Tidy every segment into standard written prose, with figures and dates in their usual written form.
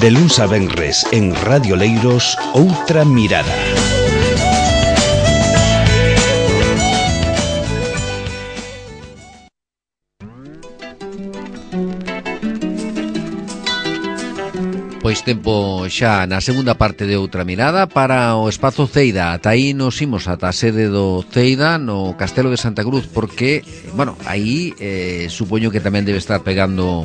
De luns a venres en Radio Leiros, Outra Mirada. Pois tempo xa na segunda parte de Outra Mirada para o Espazo Ceida. Ata aí nos imos ata a sede do Ceida no Castelo de Santa Cruz, porque, bueno, aí supoño que tamén debe estar pegando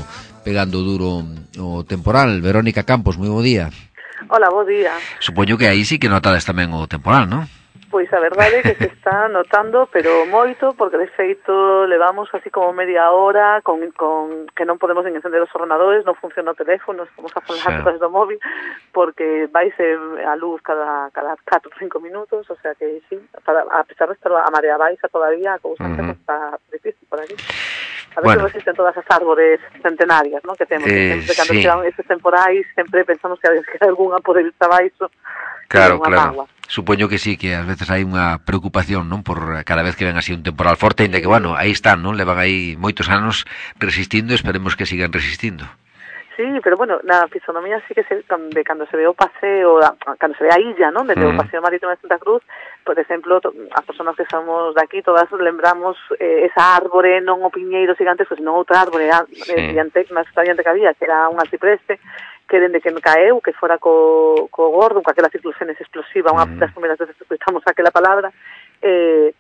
duro o temporal. Verónica Campos, moi bo día. Hola, bo día. Supoño que aí sí que notades tamén o temporal, non? Pois a verdade é que se está notando, pero moito, porque de feito levamos así como media hora con que non podemos encender os ordenadores, non funciona o teléfono, estamos a falar cosas do móvil, porque vaise a luz cada 4 ou 5 minutos, o sea que sí, a pesar de estar a marea baixa todavía, a cousa está difícil por aquí. A ver se resisten todas as árbores centenarias, ¿no? Que temos, sempre cando chegan estes temporais, sempre pensamos que hai algunha por ir abaixo. Claro. Supoño que sí, que ás veces hai unha preocupación, non, por cada vez que ven así un temporal forte, ainda que, bueno, aí están, non, levan aí moitos anos resistindo, esperemos que sigan resistindo. Sí, pero bueno, na fisonomía sí que de cando se ve o paseo, cando se ve a illa, non, desde o paseo marítimo de Santa Cruz, por exemplo, as persoas que somos de aquí, todas lembramos esa árbore, non o piñeiro gigantesco, senón outra árbore máis diante que había, que era un arcipreste, que dende que me caeu, que fora co gordo, con aquela circulación explosiva, unha das primeiras veces que escuchamos aquela palabra,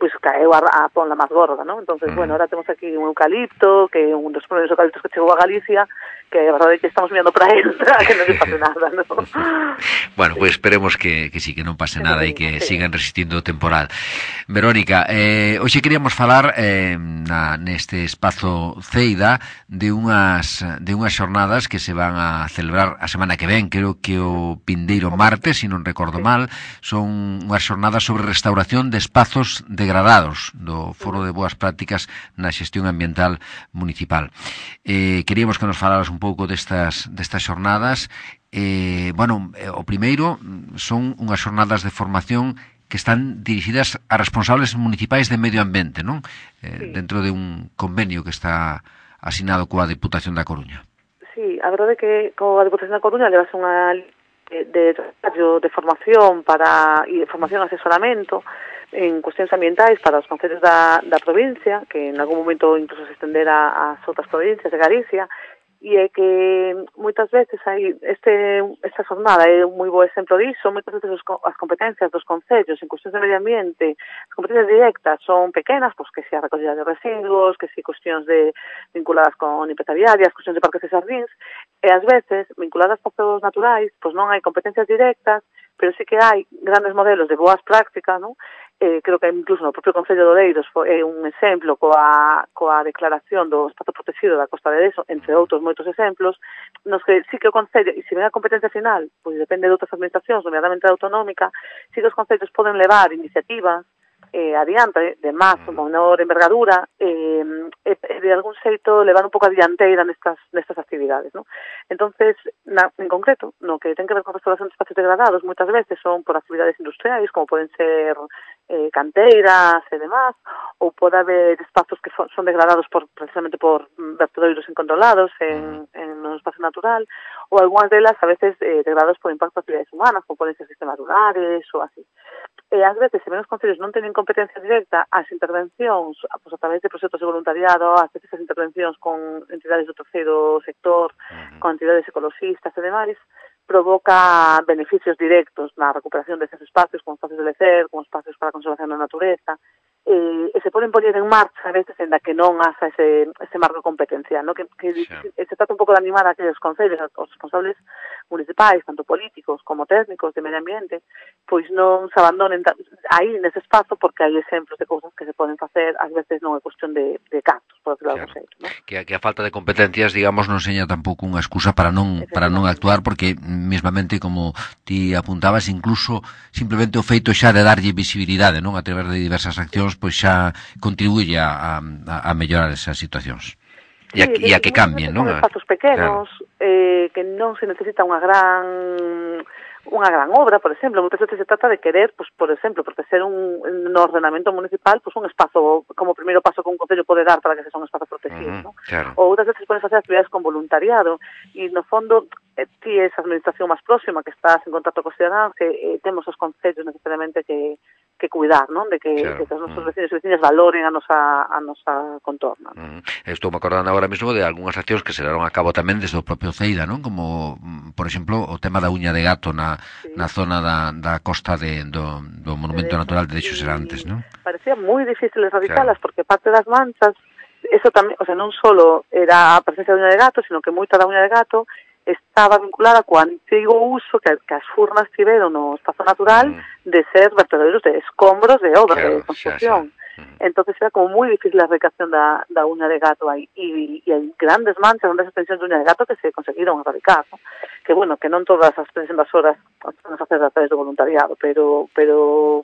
pois caeu a ponla máis gorda, non? Entonces, bueno, ahora temos aquí un eucalipto, que é un dos primeiros eucaliptos que chegou a Galicia, que a verdade é que estamos mirando para él, para que non se pase nada, non? Bueno, pois esperemos que sí, que non pase nada e que sigan resistindo o temporal. Verónica, hoxe queríamos falar neste espazo Ceida de unhas xornadas que se van a celebrar a semana que ven, creo que o vindeiro martes, se non recordo mal, son unhas xornadas sobre restauración de espazos degradados do Foro de Boas Prácticas na Xestión Ambiental Municipal. Queríamos que nos falaras un pouco destas xornadas. O primeiro son unhas xornadas de formación que están dirixidas a responsables municipais de medio ambiente, non? Dentro de un convenio que está asinado coa Deputación da Coruña. Sí, a verdade é que coa Deputación da Coruña levas unha de formación e de formación e asesoramento en cuestións ambientais para os concellos da provincia, que en algún momento incluso se estendera ás outras provincias de Galicia, e é que moitas veces esta jornada é un moi bo exemplo disso. Moitas veces as competencias dos concellos en cuestións de medio ambiente, as competencias directas son pequenas, pois que se a recollida de residuos, que se cuestións vinculadas con limpeza viaria, cuestións de parques de xardíns, e ás veces vinculadas a pozos naturais, pois non hai competencias directas, pero sí que hai grandes modelos de boas prácticas, non? Creo que incluso no propio Concello de Oleiros é un exemplo coa declaración do espazo protegido da Costa de Deso, entre outros moitos exemplos, nos que sí que o Concello, e se ven a competencia final, pois depende de outras administracións, nomeadamente a autonómica, sí que os concellos poden levar iniciativas adiante, de máis ou menor envergadura, de algún xeito levar un pouco a dianteira nestas actividades, non? Entonces, en concreto, no que ten que ver con restauración de espacios degradados, moitas veces son por actividades industriais, como poden ser canteiras e demás, ou pode haber espazos que son degradados precisamente por vertedoiros incontrolados en un espacio natural, ou algunhas delas a veces degradados por impacto de actividades humanas, como poden ser sistemas rurales ou así. E ás veces, se menos concellos non teñen competencia directa, as intervencións, pois a través de proxectos de voluntariado, as veces as intervencións con entidades do terceiro sector, con entidades ecologistas e demais, provoca beneficios directos na recuperación desses espacios, como espacios de lecer, como espacios para a conservación da natureza, e se poden poñer en marcha a veces en da que non haxa ese marco competencial, ¿no? Que se trata un pouco de animar a aqueles concellos, os responsables municipais, tanto políticos como técnicos de medio ambiente, pois non se abandonen aí nese espazo, porque hai exemplos de cousas que se poden facer, ás veces non é cuestión de cartos, por decirlo de algún xeito, ¿no? Que a falta de competencias, digamos, non seña tampouco unha excusa para non actuar, porque mesmamente, como ti apuntabas, incluso simplemente o feito xa de darlle visibilidade, non, a través de diversas accións, pois xa contribuye a mellorar esas situacións. E a que cambien, non? Son espazos pequenos, que non se necesita unha gran obra, por exemplo. Moitas veces se trata de querer, pues, por exemplo, proteger no ordenamento municipal, pues, un espazo, como primeiro paso que un concello pode dar para que sexa un espazo protegido, ¿no? Ou outras veces poden facer actividades con voluntariado, e no fondo ti és a administración máis próxima que estás en contacto cos cidadáns, que temos os concellos necesariamente que cuidar, non? De que os nosos vecinos e vecinas valoren a nosa contorna. Estou me acordando agora mesmo de algunhas accións que se levaron a cabo tamén desde o propio Ceida, non? Como, por exemplo, o tema da uña de gato na zona da costa do Monumento Natural de Deixos Serantes, non? Parecía moi difícil erradicalas, porque parte das manchas, eso tamén, o sea, non só era a presencia da uña de gato, sino que moita da uña de gato estaba vinculada co antigo uso que as furnas tiveron no espazo natural de ser vertederos de escombros de obra, de construcción. Entonces era como moi difícil a erradicación da uña de gato aí, e hai grandes manchas, grandes extensións de uña de gato que se conseguiron erradicar, ¿no? Que bueno, que non todas as invasoras as podemos facer a través do voluntariado, pero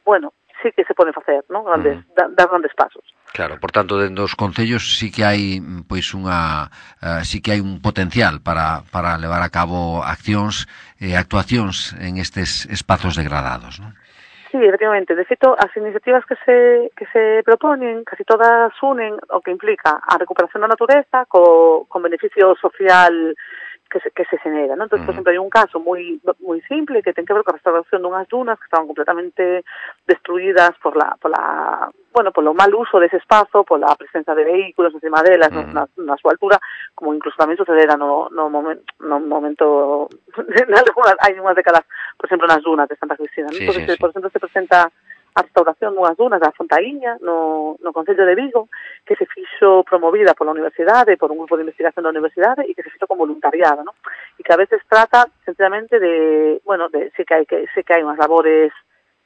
bueno, sí que se poden facer, ¿no? Dar grandes pasos. Claro, por tanto, dentro dos concellos sí que hai pois sí que hai un potencial para levar a cabo accións e actuacións en estes espazos degradados, non? Sí, efectivamente. De feito, as iniciativas que se proponen, casi todas unen o que implica a recuperación da natureza con beneficio social que se genera, ¿no? Entonces, por exemplo, hai un caso moi simple que ten que ver con a restauración dunhas dunas que estaban completamente destruídas polo mal uso dese espazo, pola presencia de vehículos encima delas na súa altura, como incluso tamén sucedera no momento hai unhas décadas, por exemplo, nas dunas de Santa Cristina, ¿no? Entonces, por exemplo, se presenta a restauración dunhas dunas da Fontaíña no Concello de Vigo, que se fixo promovida pola Universidade, por un grupo de investigación da Universidade, e que se fixo con voluntariado, ¿no? E que a veces trata, sencillamente, sí que hai unhas labores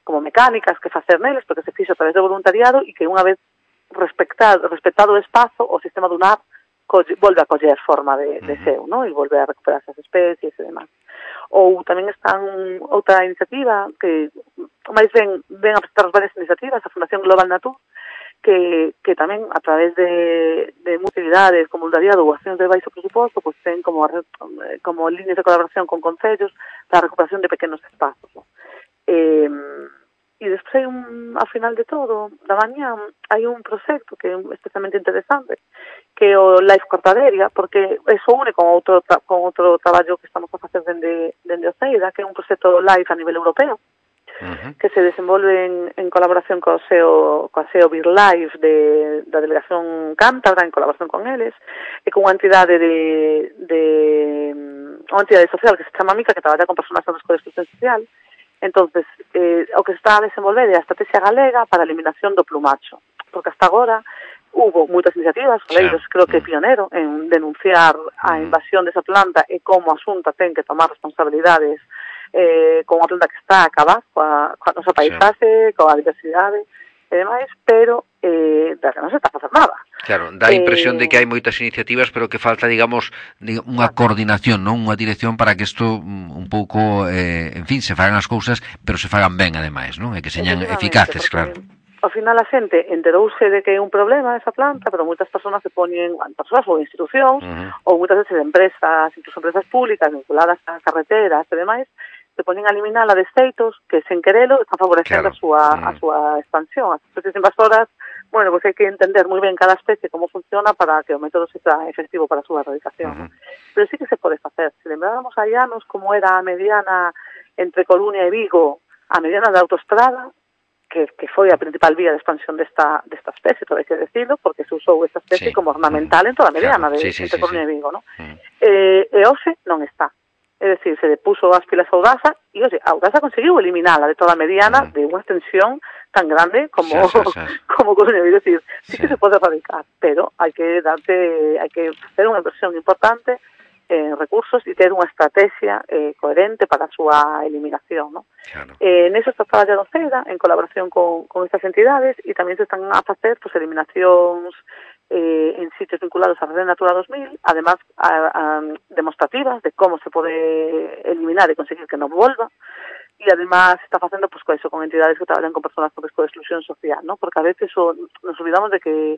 como mecánicas que facer neles, porque se fixo a través do voluntariado, e que unha vez respectado o espazo, o sistema dunar volve a coller forma de seu, ¿no? E volve a recuperar esas especies e demás. Ou tamén están outra iniciativa que máis ven a presentar varias iniciativas, a Fundación Global Natur, que tamén a través de actividades como voluntariado ou accións de baixo presuposto, pues ten como líneas de colaboración con concellos para a recuperación de pequenos espazos, ¿no? E despois hai ao final de todo, da mañá, hai un proxecto que é especialmente interesante, que é o Life Cortaderia, porque eso une con outro traballo que estamos a facer dende o CEIDA, que é un proxecto Life a nivel europeo, que se desenvolve en colaboración coa SEO BirdLife da Delegación Cántabra, en colaboración con eles, e con unha entidade unha entidade social que se chama Mica, que traballa con persoas en risco de exclusión social. Entonces, o que se está a desenvolver é a estrategia galega para a eliminación do plumacho, porque hasta agora hubo moitas iniciativas, Oleiros creo que é pionero en denunciar a invasión desa planta e como a Xunta ten que tomar responsabilidades con unha planta que está a acabar coa nosa paisaxe, coa diversidade e demais, pero da que non se está a facer nada. Claro, dá a impresión de que hai moitas iniciativas, pero que falta, digamos, unha coordinación, non? Unha dirección para que isto un pouco, en fin, se fagan as cousas, pero se fagan ben, ademais, non? E que señan eficaces, claro. Ao final a xente enterouse de que é un problema esa planta, pero moitas persoas se poñen, persoas ou institucións, ou moitas veces empresas, incluso empresas públicas vinculadas a carreteras e demais, se poñen a eliminala de xeitos que sen querelo están favorecendo a súa expansión. As especies invasoras, bueno, pues hai que entender moi ben cada especie como funciona para que o método sea efectivo para a súa erradicación, ¿no? Pero sí que se pode facer. Se lembráramos hai anos como era a mediana entre Coruña e Vigo, a mediana da autoestrada, que foi a principal vía de expansión desta especie, todo hai que decirlo, porque se usou esta especie como ornamental en toda a mediana entre Coruña e Vigo, ¿no? E hoxe non está. É dicir, se le puso as pilas a Audasa e, oxe, a Audasa conseguiu eliminala de toda a mediana de unha extensión tan grande como Coruña. É dicir, sí que se pode erradicar, pero hai que facer unha inversión importante en recursos e ter unha estrategia coherente para a súa eliminación, ¿no? Neso está traballando CEDA en colaboración con estas entidades e tamén se están a facer eliminacións en sitios vinculados a Red Natura 2000, además demostrativas de como se pode eliminar e conseguir que non volva, e además se está facendo con entidades que traballan con persoas con risco de exclusión social, ¿no? Porque a veces nos olvidamos de que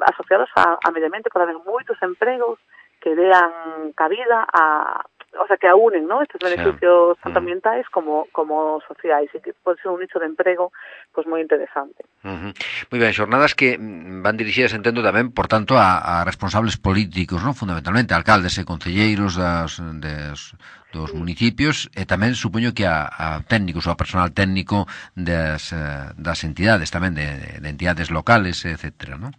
asociados a medio ambiente pode haber moitos empregos que dean cabida a o sea, que aunen, ¿no?, estes beneficios tanto ambientais como sociais, e que pode ser un nicho de emprego pois moi interesante. Moi ben, xornadas que van dirixidas, entendo tamén, por tanto, a responsables políticos, non? Fundamentalmente, alcaldes e concelleiros dos municipios, e tamén supoño que a técnicos ou a personal técnico das entidades tamén, de entidades locales, etcétera, non?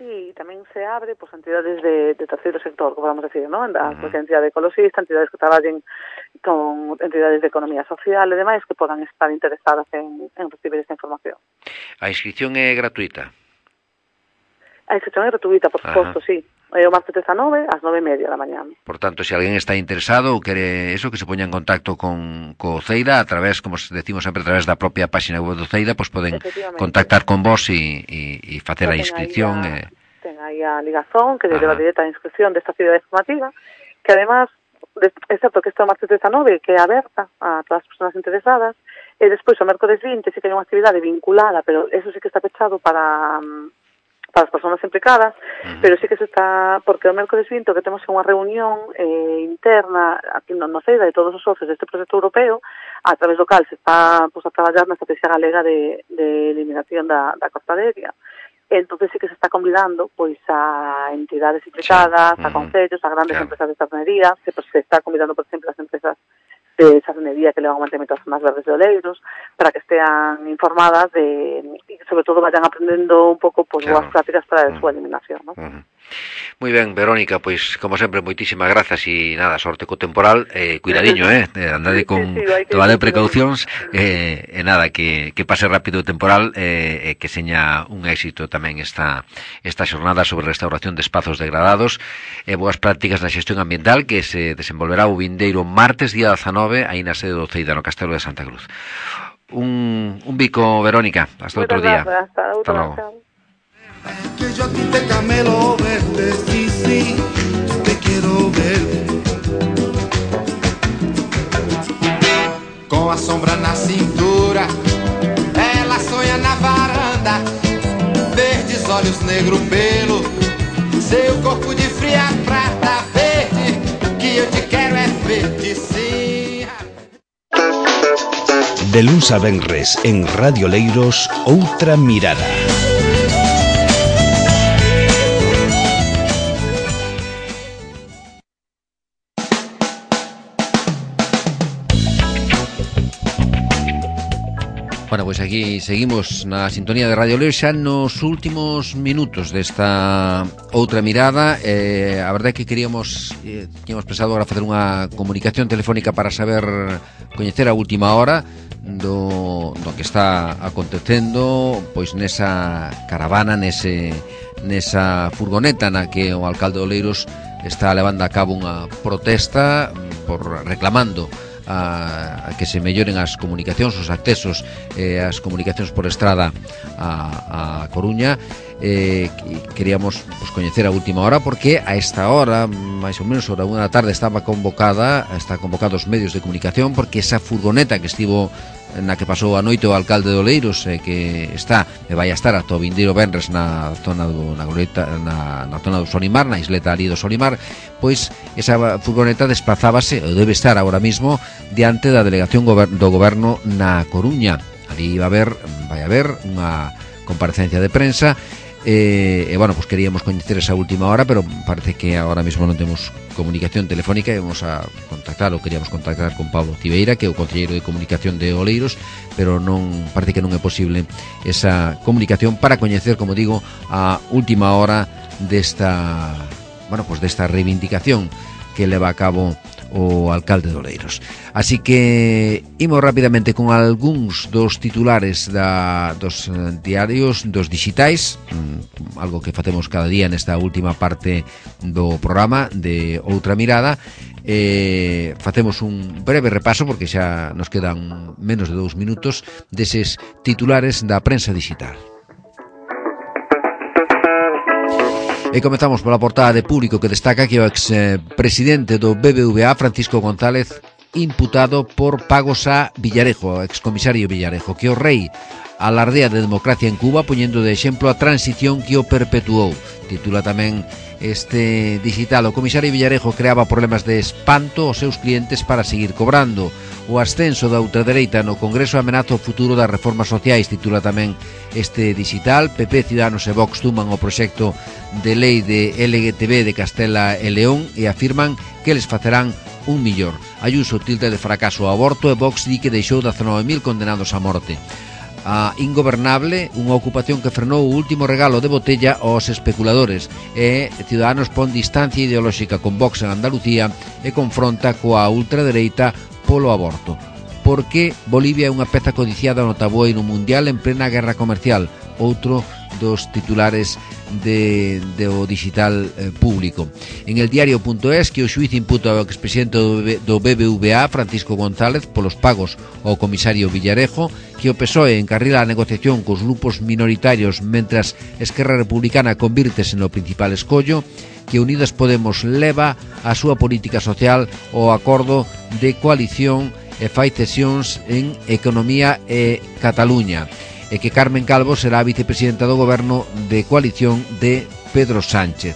Sí, tamén se abre pues, entidades de terceiro sector, como vamos a decir, ¿no? Cualquier entidade ecologista, entidades que traballen con entidades de economía social e demais que podan estar interesadas en recibir esta información. A inscripción é gratuita? A inscripción é gratuita, por suposto, sí. É o martes 19 ás 9:30 da mañá. Por tanto, se alguén está interesado ou quere eso, que se poña en contacto con Ceida a través, como decimos sempre, a través da propia página web do Ceida, pois poden contactar con vos e facer a inscripción. Ten aí a ligazón que leva directa a inscripción desta actividade formativa, que además, é certo que esta martes 19 que é aberta a todas as persoas interesadas, e despois o mércoles 20 sí que hai unha actividade vinculada, pero eso sí que está pechado para as persoas implicadas, pero sí que se está, porque o mércoles 20 que temos unha reunión interna aquí no Ceida de todos os socios deste proxecto europeo, a través do cal se está pues, a traballar na estrategia galega de eliminación da costaderia. Entonces sí que se está convidando pois a entidades implicadas, a concellos, a grandes empresas de sardinería, se está convidando, por exemplo, as empresas de sardinería que levan o mantemento das zonas verdes de Oleiros, para que estean informadas e sobre todo vayan aprendendo un pouco pues, boas prácticas para a súa eliminación, ¿no? Moi ben, Verónica, pois como sempre moitísimas grazas e nada, sorte co temporal, cuidadiño, andade con tomade precaucións e nada, que pase rápido o temporal e que seña un éxito tamén esta xornada sobre restauración de espazos degradados e boas prácticas na xestión ambiental que se desenvolverá o vindeiro martes día 19 aí na sede do Ceida no Castelo de Santa Cruz. Un bico, Verónica, hasta outro día. Hasta logo. Que yo a ti te camelo verte, sí, te quiero ver. Com a sombra na cintura, ela sonha na varanda. Verdes olhos, negro pelo, seu corpo de fria prata verde. O que eu te quero é verde, sim. De luns a venres en Radio Leiros, Outra Mirada. Bueno, pois aquí seguimos na sintonía de Radio Leiros xa nos últimos minutos desta outra mirada. A verdade é que tínhamos pensado agora facer unha comunicación telefónica para saber, coñecer a última hora do que está acontecendo pois nesa caravana, nesa furgoneta na que o alcalde de Oleiros está levando a cabo unha protesta por reclamando a que se melloren as comunicacións, os accesos as comunicacións por estrada a Coruña. Queríamos pues, coñecer a última hora porque a esta hora, máis ou menos hora 1 da tarde, está convocado os medios de comunicación porque esa furgoneta que estivo na que pasou a noite o alcalde de Oleiros que está e vai a estar ata o vindeiro venres na zona do Solimar, na isleta ali do Solimar, pois esa furgoneta desplazábase, ou debe estar agora mismo diante da delegación do goberno na Coruña. Ali vai haber unha comparecencia de prensa e bueno, pues queríamos coñecer esa última hora, pero parece que agora mismo non temos comunicación telefónica e vamos a contactar, ou queríamos contactar con Pablo Tibeira, que é o concelleiro de comunicación de Oleiros, pero parece que non é posible esa comunicación para coñecer, como digo, a última hora desta reivindicación que leva a cabo o alcalde de Oleiros. Así que imos rapidamente con algúns dos titulares dos diarios, dos digitais, algo que facemos cada día nesta última parte do programa de Outra Mirada. Facemos un breve repaso porque xa nos quedan menos de 2 minutos deses titulares da prensa digital. E comezamos pola portada de Público, que destaca que o expresidente do BBVA, Francisco González, imputado por pagos a Villarejo, o excomisario Villarejo, que o rei alardea de democracia en Cuba, poñendo de exemplo a transición que o perpetuou. Titula tamén este digital. O comisario Villarejo creaba problemas de espanto aos seus clientes para seguir cobrando. O ascenso da ultradereita no Congreso amenaza o futuro das reformas sociais, titula tamén este digital. PP, Ciudadanos e Vox tuman o proxecto de lei de LGTB de Castela e León e afirman que les facerán un millor. Ayuso tilde de fracaso o aborto e Vox di que deixou 19.000 condenados a morte. A Ingobernable, unha ocupación que frenou o último regalo de botella aos especuladores, e Ciudadanos pon distancia ideolóxica con Vox en Andalucía e confronta coa ultradereita polo aborto. Porque Bolivia é unha peza codiciada no tabueiro mundial en plena guerra comercial, outro dos titulares do digital público. En el diario.es, que o xuiz imputa ao expresidente do BBVA, Francisco González, polos pagos ao comisario Villarejo, que o PSOE encarrila a negociación cos grupos minoritarios mentras Esquerra Republicana convírtese no principal escollo, que Unidas Podemos leva a súa política social ao acordo de coalición e fai cesións en Economía e Cataluña, e que Carmen Calvo será a vicepresidenta do goberno de coalición de Pedro Sánchez.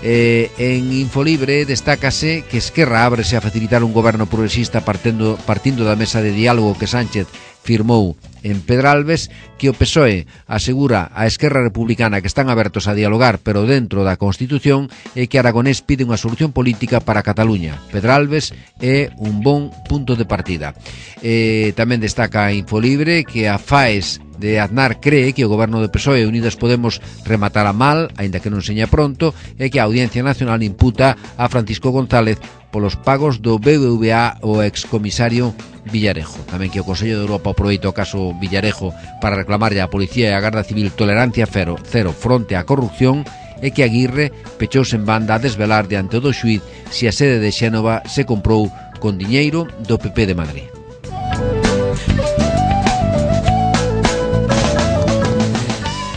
En Infolibre destácase que Esquerra ábrese a facilitar un goberno progresista partindo da mesa de diálogo que Sánchez firmou en Pedralbes, que o PSOE asegura a Esquerra Republicana que están abertos a dialogar pero dentro da Constitución, e que Aragonés pide unha solución política para Cataluña. Pedralbes é un bon punto de partida. Tamén destaca Infolibre que a FAES de Aznar cree que o goberno do PSOE e Unidas Podemos rematará mal, aínda que non seña pronto, e que a Audiencia Nacional imputa a Francisco González polos pagos do BBVA ao excomisario Villarejo. Tamén que o Consello de Europa aproveita o caso Villarejo para reclamarlle á Policía e á Garda Civil tolerancia cero fronte á corrupción, e que Aguirre pechouse en banda a desvelar diante do xuiz se a sede de Xénova se comprou con diñeiro do PP de Madrid.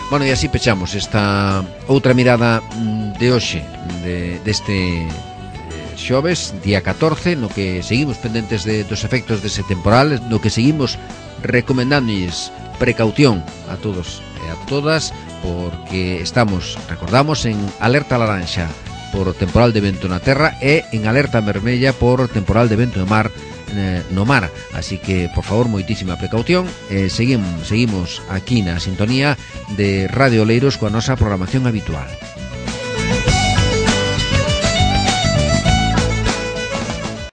Bueno, e así pechamos esta outra mirada de hoxe, deste xoves, día 14, no que seguimos pendentes dos efectos dese temporal, no que seguimos recomendándoles precaución a todos e a todas, porque recordamos, en alerta laranxa por temporal de vento na terra e en alerta vermella por temporal de vento no mar, así que por favor moitísima precaución. Seguimos aquí na sintonía de Radio Oleiros coa nosa programación habitual.